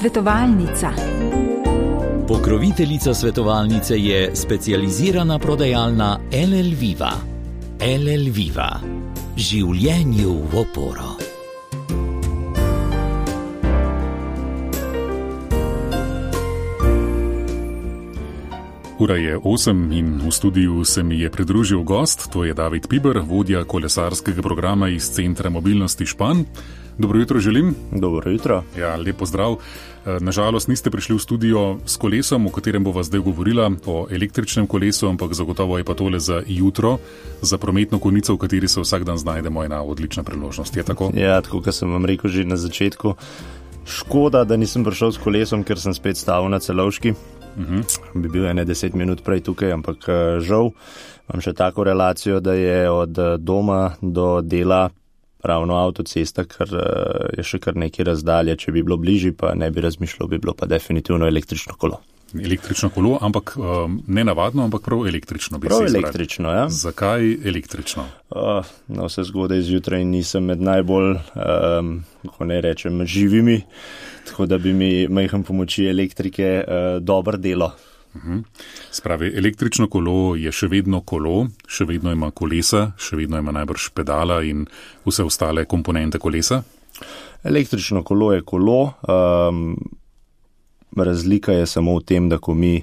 Svetovalnica. Pokroviteljica svetovalnice je specializirana prodajalna LL Viva. LL Viva. Življenju v oporo. Ura je 8 in v studiu se mi je pridružil gost, to je David Piber, vodja kolesarskega programa iz Centra mobilnosti Špan. Dobro jutro želim. Dobro jutro. Ja, lep pozdrav. Nažalost niste prišli v studio s kolesom, o katerem bova zdaj govorila, o električnem kolesu, ampak zagotovo je pa tole za jutro, za prometno konico, v kateri se vsak dan znajdemo, ena odlična priložnost. Je tako? Ja, tako kot sem vam rekel že na začetku. Škoda, da nisem prišel s kolesom, ker sem spet stavil na Celovški. Bi bil 10 minut prej tukaj, ampak žal imam še tako relacijo, da je od doma do dela ravno avtocesta, ker je še kar nekaj razdalje. Če bi bilo bližje, pa ne bi razmišljal, bi bilo pa definitivno električno kolo. Električno kolo, ampak ne navadno, ampak prav električno. Prav električno, ja. Zakaj električno? Na vse zgodaj zjutraj nisem med najbolj, kako ne rečem, živimi, tako da bi mi majhen pomoči elektrike dobro delo. Spravi, električno kolo je še vedno kolo, še vedno ima kolesa, še vedno ima najbrž pedala in vse ostale komponente kolesa? Električno kolo je kolo. Razlika je samo v tem, da ko mi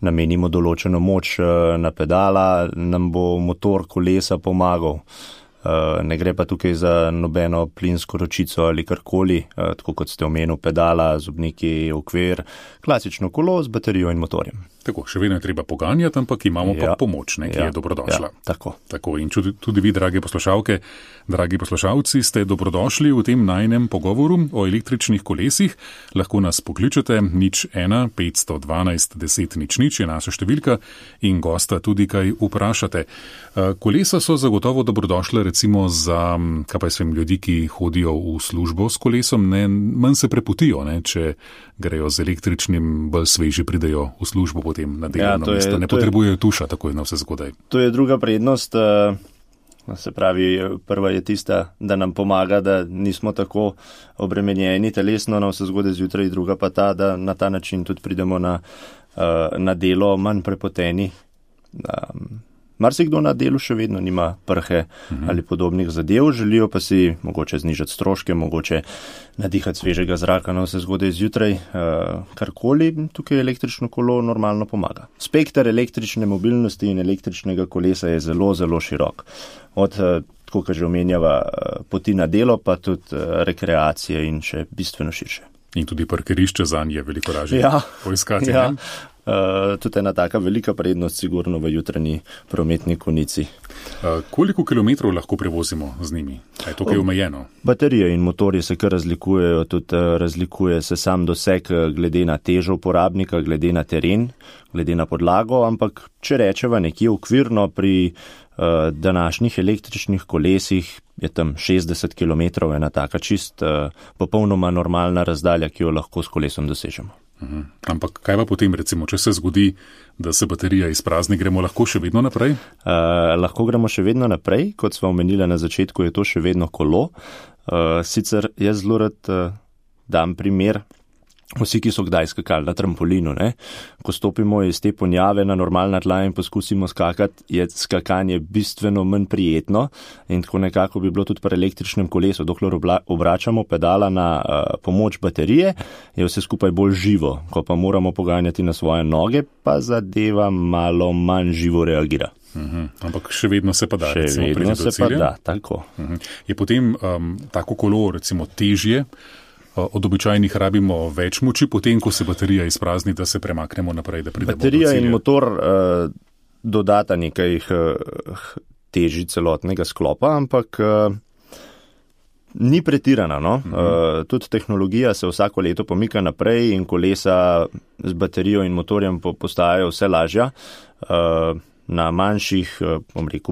namenimo določeno moč na pedala, nam bo motor kolesa pomagal. Ne gre pa tukaj za nobeno plinsko ročico ali karkoli, tako kot ste omenil, pedala, zobniki, okvir, klasično kolo z baterijo in motorjem. Tako, še vedno je treba poganjati, ampak imamo pa pomoč, ki je dobrodošla. Ja, tako. In tudi vi, drage poslušalke, dragi poslušalci, ste dobrodošli v tem najnem pogovoru o električnih kolesih. Lahko nas pokličete 01 512 10 00 je naša številka in gosta tudi kaj vprašate. Kolesa so zagotovo dobrodošle recimo za ljudi, ki hodijo v službo s kolesom, manj se preputijo, če grejo z električnim, bolj sveži pridejo v službo potem na delovno mesto. Ne potrebujejo tuša takoj na vse zgodaj. To je druga prednost, se pravi, prva je tista, da nam pomaga, da nismo tako obremenjeni telesno na vse zgodaj zjutraj, druga pa ta, da na ta način tudi pridemo na delo manj prepoteni. Marsikdo na delu še vedno nima prhe ali podobnih zadev, želijo pa si mogoče znižati stroške, mogoče nadihati svežega zraka na vse zgodaj zjutraj, karkoli, tukaj električno kolo normalno pomaga. Spektar električne mobilnosti in električnega kolesa je zelo, zelo širok. Od, tako kot že omenjava, poti na delo, pa tudi rekreacije in še bistveno širše. In tudi parkirišče zanj je veliko lažje poiskati. Ja. Tudi ena taka velika prednost sigurno v jutranji prometni konici. Koliko kilometrov lahko prevozimo z njimi? Je to kaj omejeno? Baterije in motorji se kar razlikujejo, tudi razlikuje se sam doseg glede na težo uporabnika, glede na teren, glede na podlago, ampak če rečeva nekje okvirno pri današnjih električnih kolesih je tam 60 km ena taka čist popolnoma normalna razdalja, ki jo lahko s kolesom dosežemo. Ampak kaj pa potem, recimo, če se zgodi, da se baterija izprazni, gremo lahko še vedno naprej? Lahko gremo še vedno naprej, kot smo omenili na začetku, je to še vedno kolo. Sicer jaz zelo rad dam primer, vsi, ki so kdaj skakali na trampolinu, ko stopimo iz te ponjave na normalna tla in poskusimo skakati, je skakanje bistveno manj prijetno in tako nekako bi bilo tudi pri električnem kolesu. Dokler obračamo pedala na pomoč baterije, je vse skupaj bolj živo. Ko pa moramo poganjati na svoje noge, pa zadeva malo manj živo reagira. Ampak še vedno se pa da. Še vedno se pa da, tako. Je potem tako kolo recimo težje, od običajnih rabimo več moči, potem ko se baterija izprazni, da se premaknemo naprej, da pridemo do cilja. Baterija in motor dodata nekaj teži celotnega sklopa, ampak ni pretirana. Tudi tehnologija se vsako leto pomika naprej in kolesa z baterijo in motorjem postajajo vse lažja. Na manjših,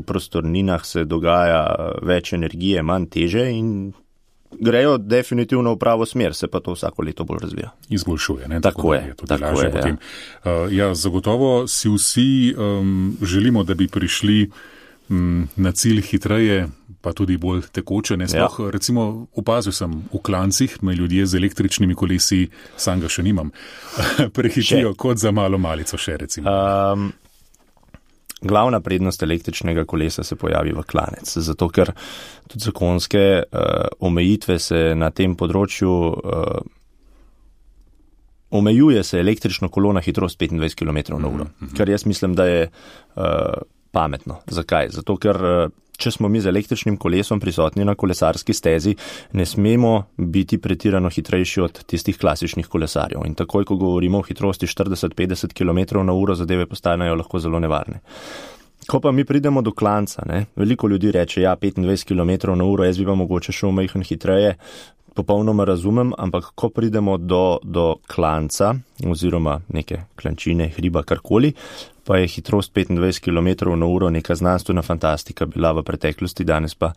prostorninah se dogaja več energije, manj teže in grejo definitivno v pravo smer, se pa to vsako leto bolj razvija. Izboljšuje, ne? Tako je. Zagotovo si vsi želimo, da bi prišli na cilj hitreje, pa tudi bolj tekoče. Recimo opazil sem v klancih, me ljudje z električnimi kolesi, sam ga še nimam, prehitijo kot za malo malico še recimo. Glavna prednost električnega kolesa se pojavi v klanec, zato ker tudi zakonske omejitve se na tem področju omejuje se električno kolo na hitrost 25 km/h, kar jaz mislim, da je pametno. Zakaj? Zato ker če smo mi z električnim kolesom prisotni na kolesarski stezi, ne smemo biti pretirano hitrejši od tistih klasičnih kolesarjev. In takoj, ko govorimo o hitrosti 40-50 km/h, zadeve postanejo lahko zelo nevarne. Ko pa mi pridemo do klanca, veliko ljudi reče, 25 km/h, jaz bi pa mogoče šel majhen hitreje, popolnoma razumem, ampak ko pridemo do klanca oziroma neke klančine, hriba, karkoli, pa je hitrost 25 km/h neka znanstvena fantastika bila v preteklosti, danes pa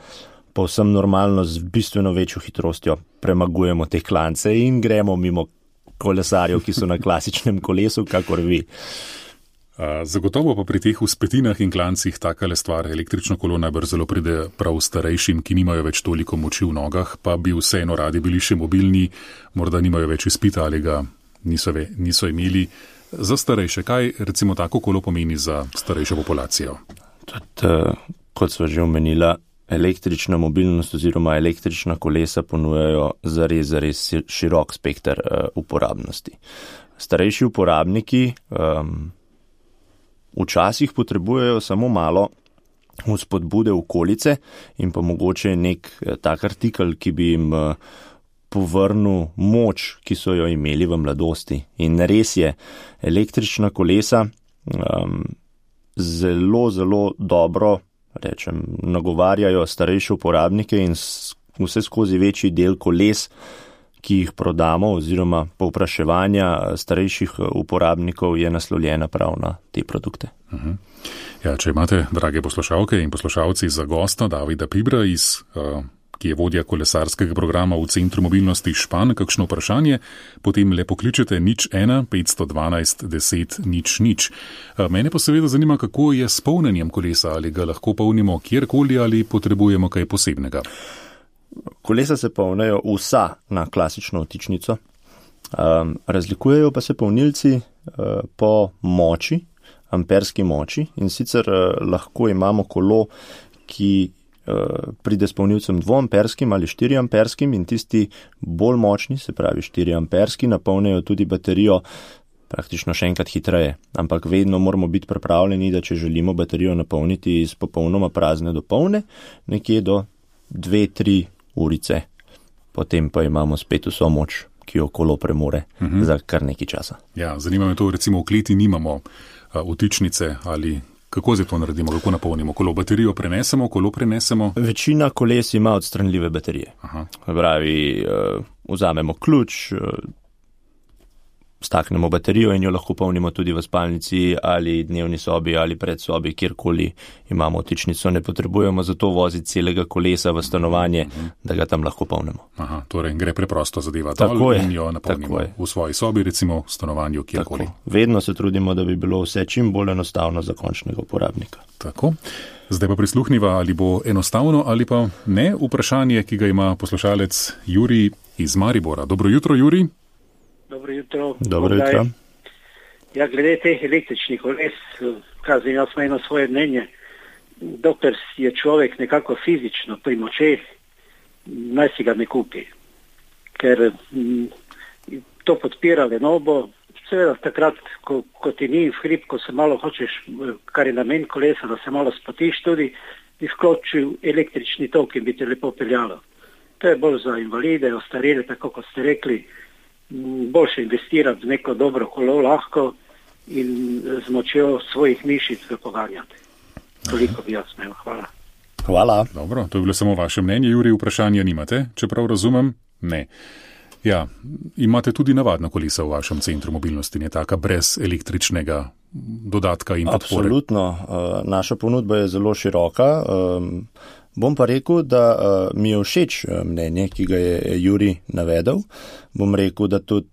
povsem normalno z bistveno večjo hitrostjo premagujemo te klance in gremo mimo kolesarjev, ki so na klasičnem kolesu, kakor vi. Zagotovo pa pri teh vzpetinah in klancih takale stvar, električno kolo najbrž zelo pride prav starejšim, ki nimajo več toliko moči v nogah, pa bi vseeno radi bili še mobilni, morda nimajo več izpita ali ga niso imeli. Za starejše, kaj recimo tako kolo pomeni za starejšo populacijo? Tudi, kot sva že omenila, električna mobilnost oziroma električna kolesa ponujajo zares širok spekter uporabnosti. Starejši uporabniki včasih potrebujejo samo malo vzpodbude okolice in pa mogoče nek tak artikel, ki bi jim povrnil moč, ki so jo imeli v mladosti. In res je, električna kolesa zelo dobro, nagovarjajo starejše uporabnike in vse skozi večji del koles, ki jih prodamo oziroma povpraševanja starejših uporabnikov je naslovljena prav na te produkte. Ja, če imate, drage poslušalke in poslušalci, za gosta Davida Pibra, ki je vodja kolesarskega programa v Centru mobilnosti Špan, kakšno vprašanje, potem le pokličete 01 512 10 00. Mene pa seveda zanima, kako je s polnjenjem kolesa, ali ga lahko polnimo kjerkoli ali potrebujemo kaj posebnega. Kolesa se polnejo vsa na klasično vtičnico. Razlikujejo pa se polnilci po moči, amperski moči, in sicer lahko imamo kolo, ki pride s polnilcem 2-amperskim ali 4-amperskim, in tisti bolj močni, se pravi 4-amperski, napolnejo tudi baterijo praktično še enkrat hitreje. Ampak vedno moramo biti pripravljeni, da če želimo baterijo napolniti iz popolnoma prazne do polne, nekje do 2-3 urice. Potem pa imamo spet vso moč, ki jo kolo premore za kar nekaj časa. Ja, zanima me to, recimo v kleti nimamo vtičnice ali kako zdaj to naredimo, kako napolnimo kolo? Baterijo prenesemo, kolo prenesemo? Večina koles ima odstranljive baterije. Pravi, vzamemo ključ, staknemo baterijo in jo lahko polnimo tudi v spalnici ali dnevni sobi ali predsobi, kjerkoli imamo vtičnico. Ne potrebujemo zato voziti celega kolesa v stanovanje, da ga tam lahko polnimo. Torej gre preprosto zadeva dol in jo napolnimo v svoji sobi, recimo v stanovanju, kjerkoli. Vedno se trudimo, da bi bilo vse čim bolj enostavno za končnega uporabnika. Tako. Zdaj pa prisluhniva, ali bo enostavno ali pa ne, vprašanje, ki ga ima poslušalec Jurij iz Maribora. Dobro jutro, Jurij. Dobro jutro. Dobro jutro. Ja, glede teh električnih koles, kažem, jaz imam svoje mnenje. Dokler je človek nekako fizično pri močeh, naj si ga ne kupi. Ker to podpira lenobo. Seveda takrat, ko ti ni v hrib, ko se malo hočeš, kar je namen kolesa, da se malo spotiš tudi, bi vključil električni tok in bi te lepo peljalo. To je bolj za invalide, ostarele, tako kot ste rekli. Boljše investirati v neko dobro kolo lahko in z močjo svojih mišic ga poganjati. Toliko bi jaz imel. Hvala. Hvala. Dobro, to je bilo samo vaše mnenje, Jurij, vprašanja nimate, čeprav razumem? Ne. Ja, imate tudi navadna kolesa v vašem centru mobilnosti, ne taka brez električnega dodatka in podpore? Absolutno. Naša ponudba je zelo široka. Bom pa rekel, da mi je všeč mnenje, ki ga je Jurij navedel. Bom rekel, da tudi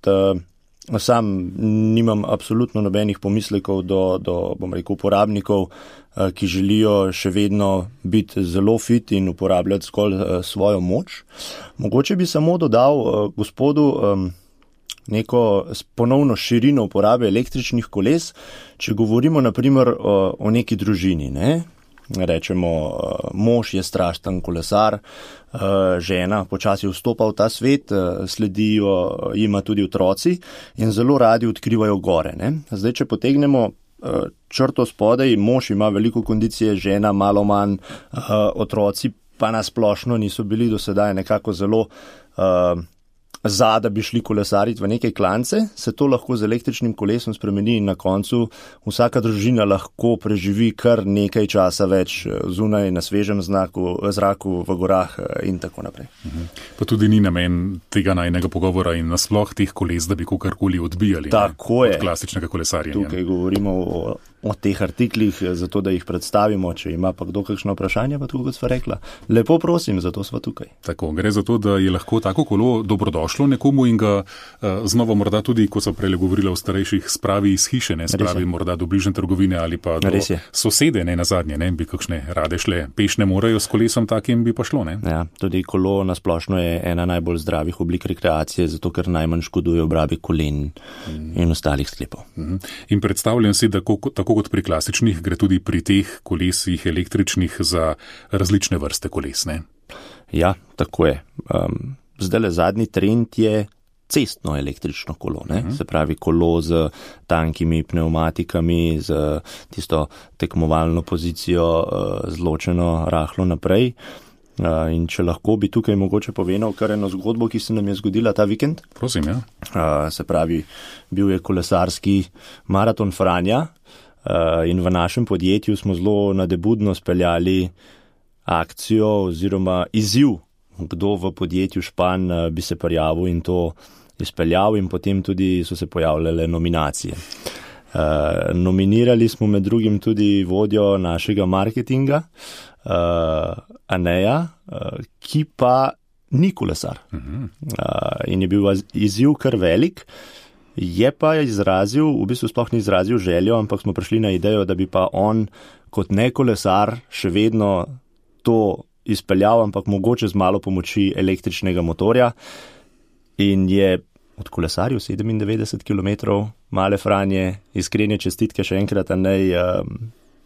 Sam nimam absolutno nobenih pomislekov do bom rekel, uporabnikov, ki želijo še vedno biti zelo fit in uporabljati zgolj svojo moč. Mogoče bi samo dodal gospodu neko ponovno širino uporabe električnih koles, če govorimo naprimer o neki družini, ne? Rečemo, mož je strašten kolesar, žena počasi vstopa v ta svet, sledijo jima tudi otroci in zelo radi odkrivajo gore. Ne? Zdaj, če potegnemo črto spodaj, mož ima veliko kondicije, žena malo manj, otroci pa nasplošno niso bili do sedaj nekako zelo da bi šli kolesariti v neke klance, se to lahko z električnim kolesom spremeni in na koncu vsaka družina lahko preživi kar nekaj časa več zunaj na svežem zraku v gorah in tako naprej. Pa tudi ni namen tega najnega pogovora in nasploh teh koles, da bi kakorkoli odbijali od klasičnega kolesarjenja. Tukaj govorimo o teh artiklih, zato da jih predstavimo, če ima pa kdo kakšno vprašanje, pa tako kot sva rekla. Lepo prosim, zato sva tukaj. Tako, gre za to, da je lahko tako kolo dobrodošlo nekomu in ga znova morda tudi, ko so prej govorila o starejših, spravi iz hiše, ne spravi morda do bližnje trgovine ali pa do sosede, ne nazadnje, ne bi kakšne rade šle, peš ne morajo s kolesom takim bi pa šlo, ne? Ja, tudi kolo nasplošno je ena najbolj zdravih oblik rekreacije, zato ker najmanj škoduje obrabi kolen in ostalih sklepov. In predstavljam si, da tako kot pri klasičnih, gre tudi pri teh kolesih električnih za različne vrste koles, ne? Ja, tako je. Zdajle zadnji trend je cestno električno kolo, ne? Se pravi kolo z tankimi pneumatikami, z tisto tekmovalno pozicijo zločeno rahlo naprej. In če lahko bi tukaj mogoče povedal kar eno zgodbo, ki se nam je zgodila ta vikend. Prosim, ja. Se pravi, bil je kolesarski maraton Franja in v našem podjetju smo zelo nadebudno speljali akcijo oziroma izziv, kdo v podjetju Špan bi se prijavil in to izpeljal in potem tudi so se pojavljale nominacije. Nominirali smo med drugim tudi vodjo našega marketinga, Aneja, ki pa ni kolesar. In je bil izziv kar velik, je pa izrazil, v bistvu sploh ni izrazil željo, ampak smo prišli na idejo, da bi pa on kot ne kolesar še vedno to izpeljal, ampak mogoče z malo pomoči električnega motorja in je odkolesaril 97 km male Franje, iskrene čestitke še enkrat,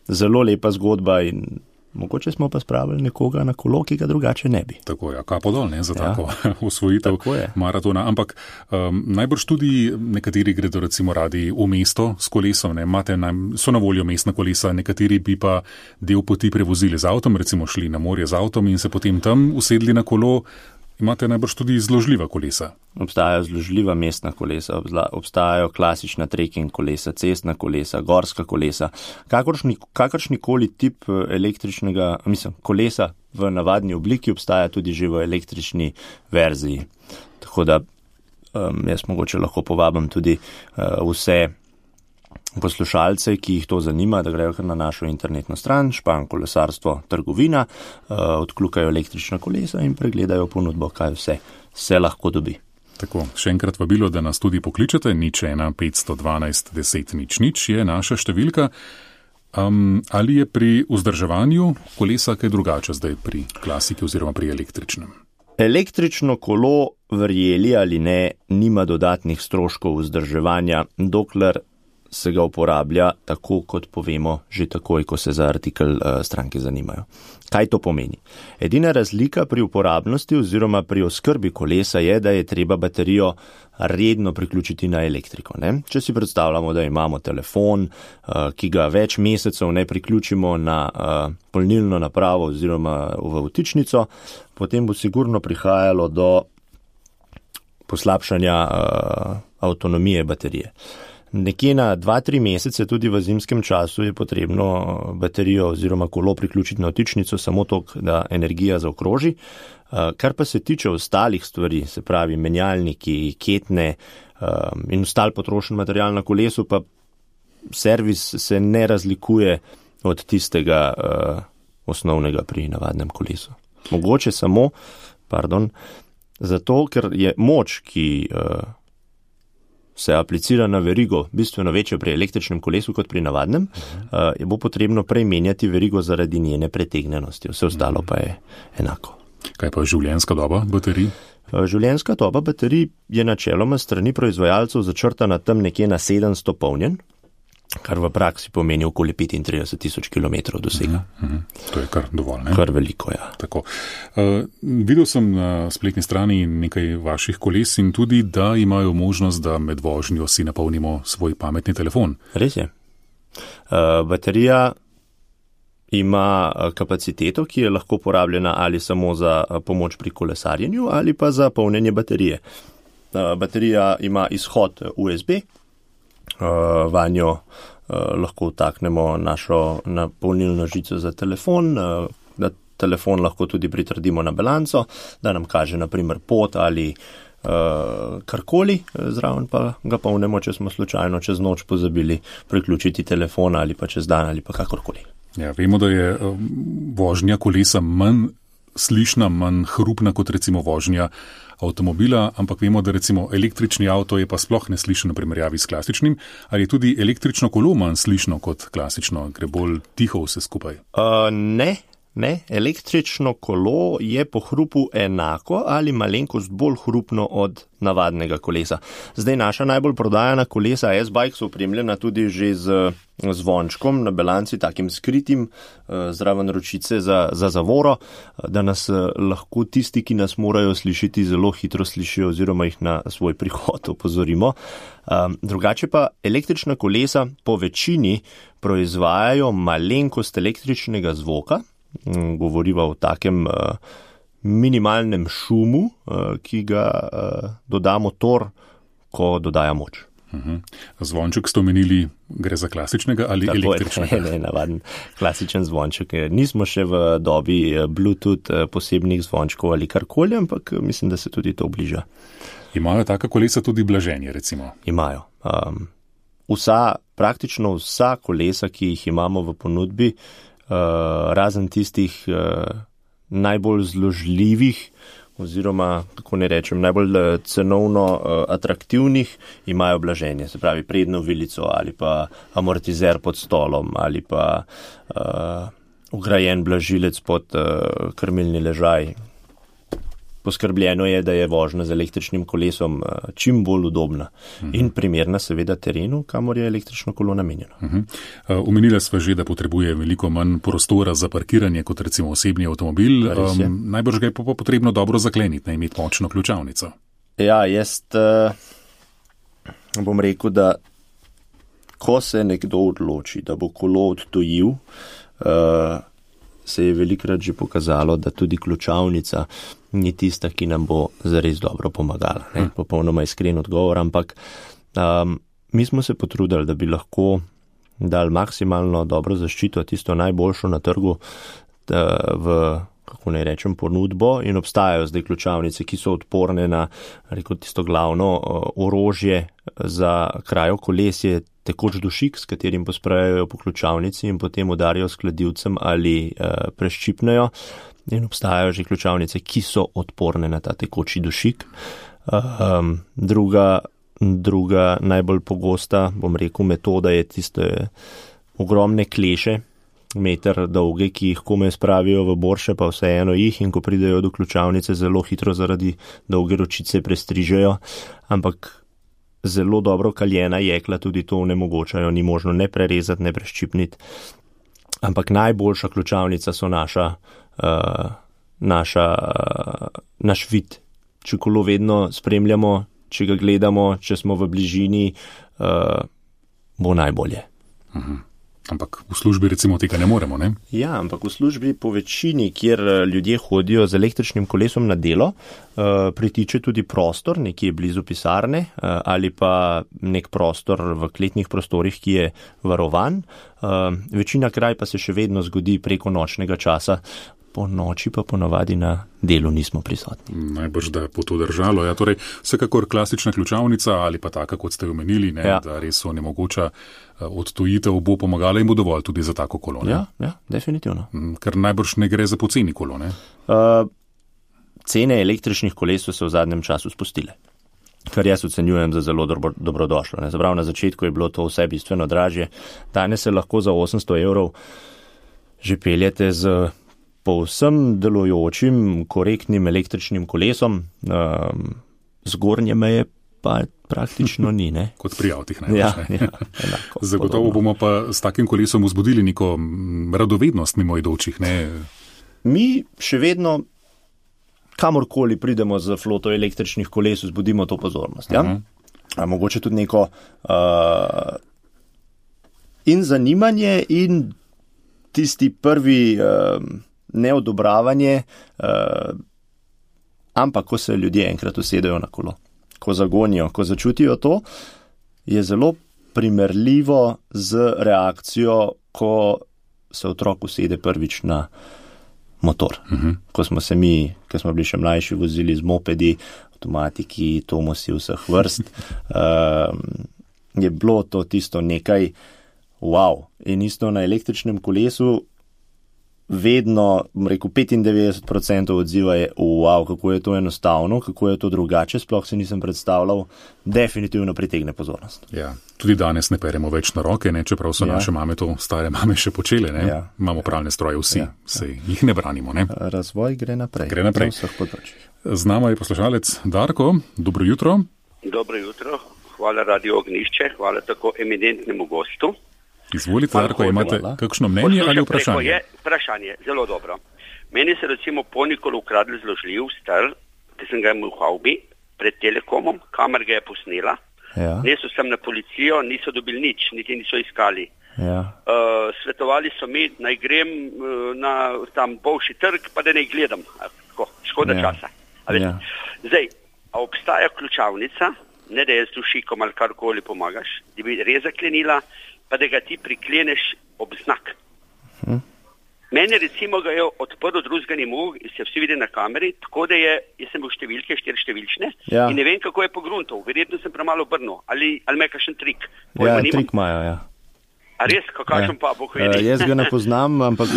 zelo lepa zgodba in mogoče smo pa spravili nekoga na kolo, ki ga drugače ne bi. Tako je, kapo dol, ne, za tako osvojitev maratona, ampak najbrž tudi nekateri gredo recimo radi v mesto s kolesom, ne, so na voljo mestna kolesa, nekateri bi pa del poti prevozili z avtom, recimo šli na morje z avtom in se potem tam usedli na kolo. Imate najbrž tudi zložljiva kolesa? Obstajajo zložljiva mestna kolesa, obstajajo klasična trekking kolesa, cestna kolesa, gorska kolesa, kakršnikoli tip električnega, kolesa v navadni obliki obstaja tudi že v električni verziji. Tako da jaz mogoče lahko povabim tudi vse poslušalce, ki jih to zanima, da grejo kar na našo internetno stran Špan kolesarstvo trgovina, odkljukajo električna kolesa in pregledajo ponudbo, kaj vse se lahko dobi. Tako, še enkrat vabilo, da nas tudi pokličete, 01 512 10 00 je naša številka. Ali je pri vzdrževanju kolesa kaj drugače zdaj pri klasiki oziroma pri električnem? Električno kolo, verjeli ali ne, nima dodatnih stroškov vzdrževanja, dokler se ga uporablja tako, kot povemo, že takoj, ko se za artikel stranke zanimajo. Kaj to pomeni? Edina razlika pri uporabnosti oziroma pri oskrbi kolesa je, da je treba baterijo redno priključiti na elektriko. Ne? Če si predstavljamo, da imamo telefon, ki ga več mesecev ne priključimo na polnilno napravo oziroma v vtičnico, potem bo sigurno prihajalo do poslabšanja avtonomije baterije. Nekje na 2-3 mesece, tudi v zimskem času, je potrebno baterijo oziroma kolo priključiti na vtičnico samo toliko, da energija zaokroži. Kar pa se tiče ostalih stvari, se pravi menjalniki, ketne in ostal potrošen material na kolesu, pa servis se ne razlikuje od tistega osnovnega pri navadnem kolesu. Mogoče samo, zato, ker je moč, ki se aplicira na verigo bistveno večjo pri električnem kolesu kot pri navadnem, je bo potrebno prej menjati verigo zaradi njene pretegnjenosti. Vse ostalo pa je enako. Kaj pa življenjska doba baterij? Življenjska doba baterij je načeloma strani proizvajalcev začrtana tam nekje na 700 polnjen, kar v praksi pomeni okoli 35,000 km dosega. To je kar dovolj, ne? Kar veliko, ja. Tako. Videl sem na spletni strani nekaj vaših koles in tudi, da imajo možnost, da med vožnjo si napolnimo svoj pametni telefon. Res je. Baterija ima kapaciteto, ki je lahko porabljena ali samo za pomoč pri kolesarjenju ali pa za polnjenje baterije. Baterija ima izhod USB, vanjo lahko vtaknemo našo napolnilno žico za telefon, da telefon lahko tudi pritrdimo na balanco, da nam kaže na primer pot ali karkoli, zraven pa ga polnemo, če smo slučajno čez noč pozabili priključiti telefon ali pa čez dan ali pa kakorkoli. Ja, vemo, da je vožnja kolesa manj slišna, manj hrupna kot recimo vožnja avtomobila, ampak vemo, da recimo električni avto je pa sploh neslišen v primerjavi s klasičnim. Ali je tudi električno kolo manj slišno kot klasično, gre bolj tiho vse skupaj? Ne. Električno kolo je po hrupu enako ali malenkost bolj hrupno od navadnega kolesa. Zdaj naša najbolj prodajana kolesa S-Bike so opremljena tudi že z zvončkom na balanci, takim skritim, zraven ročice za zavoro, da nas lahko tisti, ki nas morajo slišiti, zelo hitro slišijo oziroma jih na svoj prihod opozorimo. Drugače pa električna kolesa po večini proizvajajo malenkost električnega zvoka, govoriva o takem minimalnem šumu, ki ga doda motor, ko dodaja moč. Zvonček ste omenili, gre za klasičnega ali tako električnega? Ne, navaden klasičen zvonček. Nismo še v dobi Bluetooth posebnih zvončkov ali karkoli, ampak mislim, da se tudi to bliža. Imajo taka kolesa tudi blaženje, recimo? Imajo. Praktično vsa kolesa, ki jih imamo v ponudbi, razen tistih najbolj zložljivih oziroma, kako ne rečem, najbolj cenovno atraktivnih, imajo blaženje, se pravi prednjo vilico ali pa amortizer pod stolom ali pa vgrajen blažilec pod krmilni ležaj. Poskrbljeno je, da je vožnja z električnim kolesom čim bolj udobna in primerna seveda terenu, kamor je električno kolo namenjeno. Omenila sva že, da potrebuje veliko manj prostora za parkiranje kot recimo osebni avtomobil. Najbrž ga je pa potrebno dobro zakleniti, ne imeti močno ključavnico. Ja, jaz bom rekel, da ko se nekdo odloči, da bo kolo odtujil, se je velikrat že pokazalo, da tudi ključavnica ni tista, ki nam bo zares dobro pomagala. Popolnoma iskren odgovor, ampak mi smo se potrudili, da bi lahko dali maksimalno dobro zaščito, tisto najboljšo na trgu v, kako ne rečem, ponudbo in obstajajo zdaj ključavnice, ki so odporne na tisto glavno orožje za krajo kolesje, tekoč dušik, s katerim posprajajo po ključavnici in potem udarijo s kladivcem ali preščipnejo. In obstajajo že ključavnice, ki so odporne na ta tekoči dušik. Druga najbolj pogosta, bom rekel, metoda je tiste ogromne kleše, meter dolge, ki jih komaj spravijo v borše, pa vseeno jih, in ko pridejo do ključavnice, zelo hitro zaradi dolge ročice prestrižejo, ampak zelo dobro kaljena jekla tudi to onemogočajo, ni možno ne prerezati, ne preščipniti. Ampak najboljša ključavnica so naš vid. Če kolo vedno spremljamo, če ga gledamo, če smo v bližini, bo najbolje. Ampak v službi recimo tega ne moremo, ne? Ja, ampak v službi po večini, kjer ljudje hodijo z električnim kolesom na delo, pritiče tudi prostor nekje blizu pisarne ali pa nek prostor v kletnih prostorih, ki je varovan. Večina kraj pa se še vedno zgodi preko nočnega časa, po noči pa ponavadi na delu nismo prisotni. Najbrž, da bo to držalo. Ja, torej, vsekakor klasična ključavnica ali pa taka, kot ste omenili, ne, ja, da res onemogoča odtujitev, bo pomagala in bo dovolj tudi za tako kolo. Ne? Ja, definitivno. Ker najbrž ne gre za poceni kolo, ne? Cene električnih koles so se v zadnjem času spustile. kar jaz ocenjujem za zelo dobrodošlo. Ne. Zaprav na začetku je bilo to vse bistveno dražje. Danes se lahko za 800 € že peljete z povsem delujočim, korektnim električnim kolesom. Zgornje meje pa praktično ni. Ne? Kot pri avtih največ. Ja, Zagotovo bomo pa s takim kolesom vzbudili neko radovednost mimoidočih. Ne? Mi še vedno, kamorkoli pridemo z floto električnih koles, vzbudimo to pozornost. Ja? Mogoče tudi neko in zanimanje in tisti prvi neodobravanje, ampak ko se ljudje enkrat usedejo na kolo, ko zagonijo, ko začutijo to, je zelo primerljivo z reakcijo, ko se otrok usede prvič na motor. Ko smo se mi, ko smo bili še mlajši, vozili z mopedi, avtomatiki, Tomosi vseh vrst, je bilo to tisto nekaj wow. In isto na električnem kolesu vedno, rekel, 95% odziva je wow, kako je to enostavno, kako je to drugače, sploh se nisem predstavljal, definitivno pritegne pozornost. Ja, tudi danes ne peremo več na roke, ne, čeprav so naše mame to stare mame še počele, ne. Ja. Imamo pralne stroje vsi, sej jih ne branimo, ne. Razvoj gre naprej. Gre naprej. Z nama je poslušalec Darko, dobro jutro. Dobro jutro, hvala Radio Ognjišče, hvala tako eminentnemu gostu. Izvolite, Darko, imate kakšno mnenje ali vprašanje? Je vprašanje, zelo dobro. Meni se recimo ponikol ukradli zložljiv star, ki sem ga imel v havbi pred Telekomom, kamer ga je posnela. Ja. Nesel sem na policijo, niso dobili nič, niti niso iskali. Ja. Svetovali so mi, naj grem na tam Bolšji trg, pa da ne gledam. Tako, škoda časa. Ja. Zdaj, a obstaja ključavnica, ne da je z dušikom ali karkoli pomagaš, da bi res zaklenila, pa da ga ti prikleneš ob znak. Mene recimo ga je odprl drugega ni mogel, se vsi vidi na kameri, tako da jaz sem bil številke, 4 številčne, in ne vem, kako je pogruntal. Verjetno sem premalo obrnil, ali me kakšen trik. Trik imajo, ja. A res, kakšen pa bo hvedi? Jaz ga ne poznam, ampak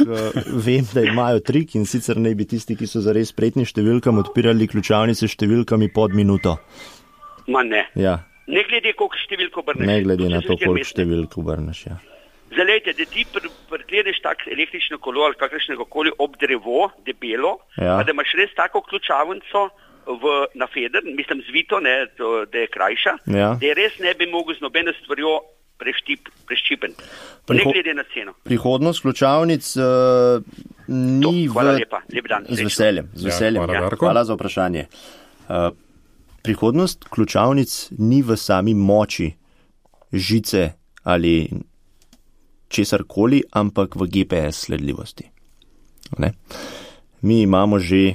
vem, da imajo trik in sicer naj bi tisti, ki so zares spretni številkam, odpirali ključavnice številkami pod minuto. Ma ne. Ja. Ne glede, koliko številko obrneš. Ne glede na to, koliko številko obrneš, ja. Zalejte, da ti prikleneš tak električno kolo ali kakršnega koli ob drevo, debelo, pa da imaš res tako ključavnico na feder, mislim zvito, ne, da je krajša, da je res ne bi mogel z nobeno stvarjo preščipen. Ne glede na ceno. Prihodnost ključavnic ni hvala lepa, lep dan. Z veseljem. Hvala za vprašanje. Prihodnost ključavnic ni v sami moči žice ali česarkoli, ampak v GPS sledljivosti. Ne? Mi imamo že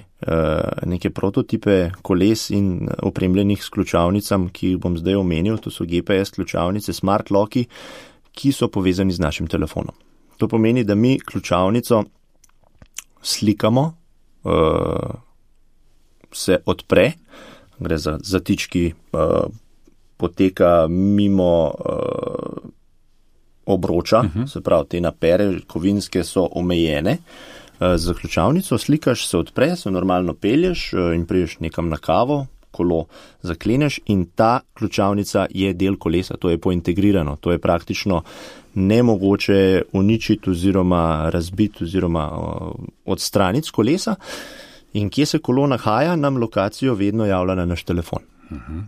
neke prototipe koles in opremljenih s ključavnicam, ki jih bom zdaj omenil, to so GPS ključavnice, smart locki, ki so povezani z našim telefonom. To pomeni, da mi ključavnico slikamo, se odpre, gre za zatički, poteka mimo obroča, se pravi, te napere kovinske so omejene. Z ključavnico slikaš, se odpre, se normalno pelješ in priješ nekam na kavo, kolo zakleneš in ta ključavnica je del kolesa, to je pointegrirano, to je praktično nemogoče uničiti oziroma razbiti oziroma odstraniti z kolesa. In kje se kolo nahaja, nam lokacijo vedno javlja na naš telefon.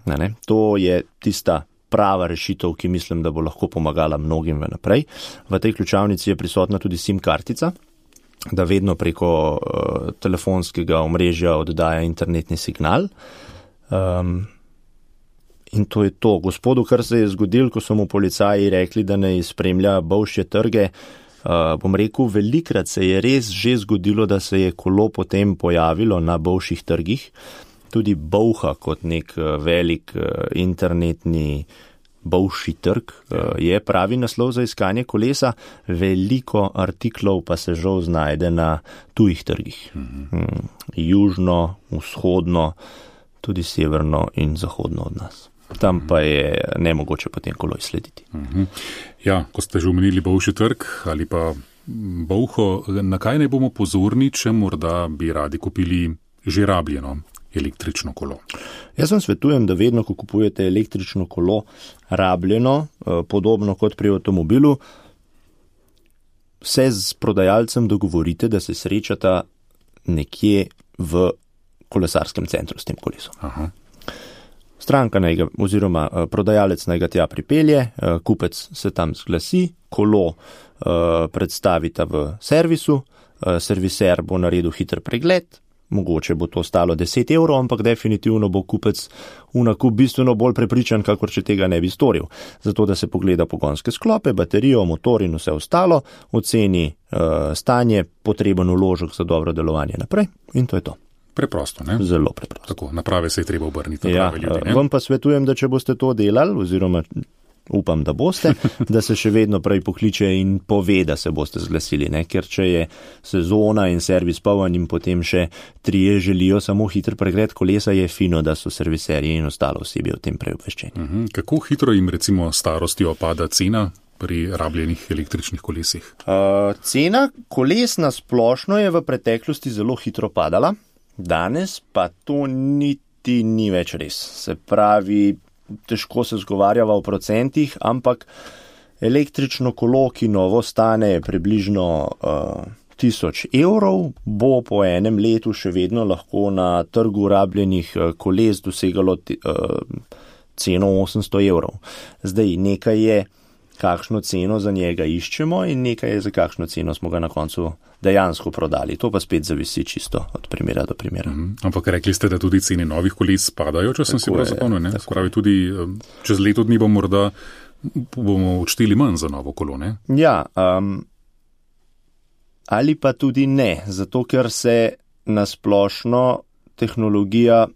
Ne? To je tista prava rešitev, ki mislim, da bo lahko pomagala mnogim naprej. V tej ključavnici je prisotna tudi SIM kartica, da vedno preko telefonskega omrežja oddaja internetni signal. In to je to. Gospodu, kar se je zgodilo, ko so mu policaji rekli, da ne spremlja Bolšje trge, bom rekel, velikrat se je res že zgodilo, da se je kolo potem pojavilo na Bolšjih trgih. Tudi Bolha kot nek velik internetni Bolšji trg je pravi naslov za iskanje kolesa, veliko artiklov pa se žal znajde na tujih trgih. Južno, vzhodno, tudi severno in zahodno od nas. Tam pa je nemogoče potem kolo izslediti. Ja, ko ste že omenili Bolšji trg ali pa Bolho, na kaj ne bomo pozorni, če morda bi radi kupili že rabljeno električno kolo? Jaz vam svetujem, da vedno, ko kupujete električno kolo, rabljeno, podobno kot pri avtomobilu, se z prodajalcem dogovorite, da se srečata nekje v kolesarskem centru s tem kolesom. Aha. Stranka oziroma prodajalec naj ga tja pripelje, kupec se tam zglasi, kolo predstavita v servisu, serviser bo naredil hiter pregled, mogoče bo to stalo 10 €, ampak definitivno bo kupec v nakup bistveno bolj prepričan, kakor če tega ne bi storil. Zato, da se pogleda pogonske sklope, baterijo, motor in vse ostalo, oceni stanje, potreben vložek za dobro delovanje naprej in to je to. Preprosto, ne? Zelo preprosto. Tako, na prave se je treba obrniti, na prave ljudi, ne? Vam pa svetujem, da če boste to delali, oziroma upam, da boste, da se še vedno prej pokliče in pove, da se boste zglasili, ne? Ker če je sezona in servis poln in potem še 3 želijo samo hiter pregled kolesa, je fino, da so serviserji in ostalo osebje o tem prej obveščeni. Kako hitro jim recimo starostjo pada cena pri rabljenih električnih kolesih? Cena koles na splošno je v preteklosti zelo hitro padala, danes pa to niti ni več res. Se pravi, težko se zgovarjava v procentih, ampak električno kolo, ki novo stane približno 1000 €, bo po enem letu še vedno lahko na trgu rabljenih koles dosegalo ceno 800 €. Zdaj, nekaj je, kakšno ceno za njega iščemo in nekaj je, za kakšno ceno smo ga na koncu dejansko prodali. To pa spet zavisi čisto od primera do primera. Ampak rekli ste, da tudi cene novih koles padajo, če sem si prav zapomnil, ne? Spravi tudi čez leto dni bomo odšteli manj za novo kolo, ne? Ja, ali pa tudi ne, zato ker se nasplošno tehnologija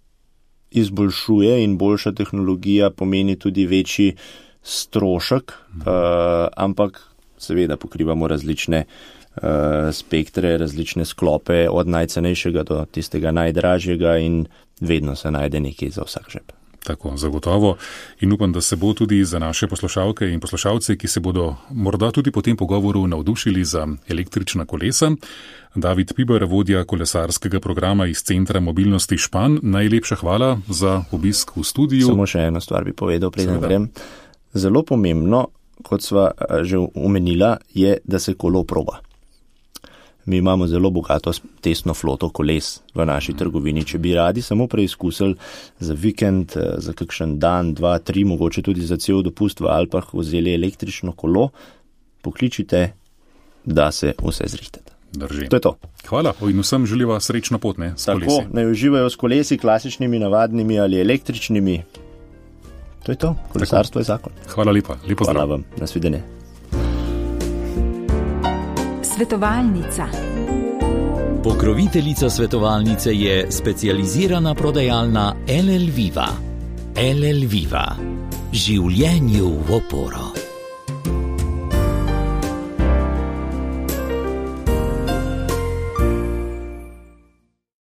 izboljšuje in boljša tehnologija pomeni tudi večji strošek, ampak seveda pokrivamo različne spektre, različne sklope, od najcenejšega do tistega najdražjega in vedno se najde nekaj za vsak žep. Tako, zagotovo. In upam, da se bo tudi za naše poslušalke in poslušalce, ki se bodo morda tudi po tem pogovoru navdušili za električna kolesa. David Piber, vodja kolesarskega programa iz Centra mobilnosti Špan, najlepša hvala za obisk v studiu. Samo še eno stvar bi povedal, preden grem. Zelo pomembno, kot sva že omenila, je, da se kolo proba. Mi imamo zelo bogato testno floto koles v naši trgovini. Če bi radi samo preizkusili za vikend, za kakšen dan, 2, 3, mogoče tudi za cel dopust v Alpah vzeli električno kolo, pokličite, da se vse zrihtete. Drži. To je to. Hvala in vsem želiva srečno pot, ne, s kolesi. Tako, naj uživajo s kolesi, klasičnimi, navadnimi ali električnimi. To je to. Kolesarstvo je zakon. Hvala lepa. Lepo zdrav. Hvala vam. Nasvidenje. Svetovalnica. Pokroviteljica svetovalnice je specializirana prodajalna LL Viva. LL Viva. Življenju v oporo.